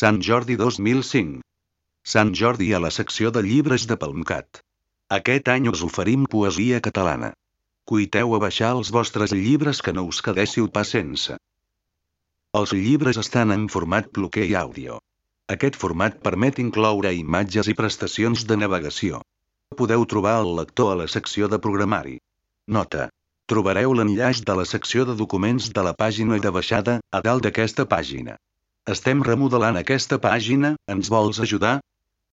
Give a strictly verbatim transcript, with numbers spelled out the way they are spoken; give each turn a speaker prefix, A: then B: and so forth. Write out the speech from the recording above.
A: Sant Jordi dos mil cinc. Sant Jordi a la secció de llibres de PalmCat. Aquest any us oferim poesia catalana. Cuiteu a baixar els vostres llibres que no us quedéssiu pas sense. Els llibres estan en format bloquer i àudio. Aquest format permet incloure imatges i prestacions de navegació. Podeu trobar el lector a la secció de programari. Nota. Trobareu l'enllaç de la secció de documents de la pàgina de baixada, a dalt d'aquesta pàgina. Estem remodelant aquesta pàgina, ens vols ajudar?